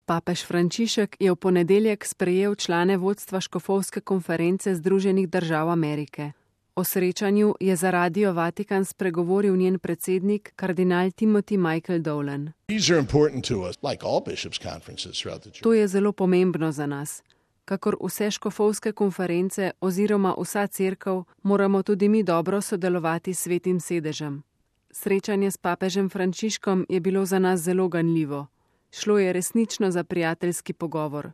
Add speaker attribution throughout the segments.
Speaker 1: Papež Frančišek je v ponedeljek sprejel člane vodstva škofovske konference Združenih držav Amerike. O srečanju je za Radio Vatikan spregovoril njen predsednik, kardinal Timothy Michael Dolan. To je zelo pomembno za nas. Kakor vse škofovske konference oziroma vsa cerkev, moramo tudi mi dobro sodelovati s Svetim sedežem. Srečanje s papežem Frančiškom je bilo za nas zelo ganljivo. Šlo je resnično za prijateljski pogovor.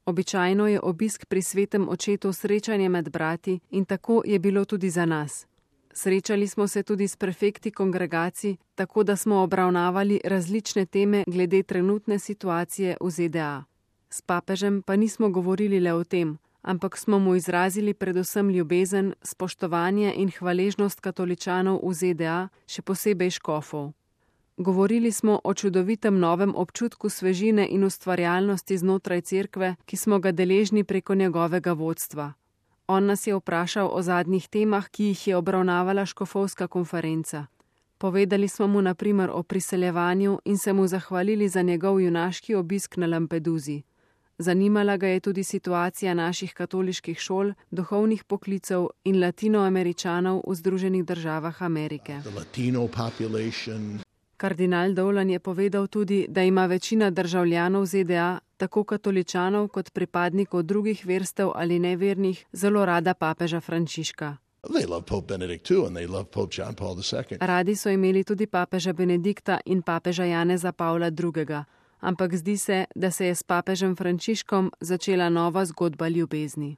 Speaker 1: Običajno je obisk pri Svetem očetu srečanje med brati in tako je bilo tudi za nas. Srečali smo se tudi s prefekti kongregacij, tako da smo obravnavali različne teme glede trenutne situacije v ZDA. S papežem pa nismo govorili le o tem, ampak smo mu izrazili predvsem ljubezen, spoštovanje in hvaležnost katoličanov v ZDA, še posebej škofov. Govorili smo o čudovitem novem občutku svežine in ustvarjalnosti znotraj cerkve, ki smo ga deležni preko njegovega vodstva. On nas je vprašal o zadnjih temah, ki jih je obravnavala škofovska konferenca. Povedali smo mu na primer o priseljevanju in se mu zahvalili za njegov junaški obisk na Lampeduzi. Zanimala ga je tudi situacija naših katoliških šol, duhovnih poklicev in latinoameričanov v Združenih državah Amerike. Kardinal Dolan je povedal tudi, da ima večina državljanov ZDA, tako katoličanov kot pripadnikov drugih verstev ali nevernih, zelo rada papeža Frančiška. Radi so imeli tudi papeža Benedikta in papeža Janeza Pavla II., ampak zdi se, da se je s papežem Frančiškom začela nova zgodba ljubezni.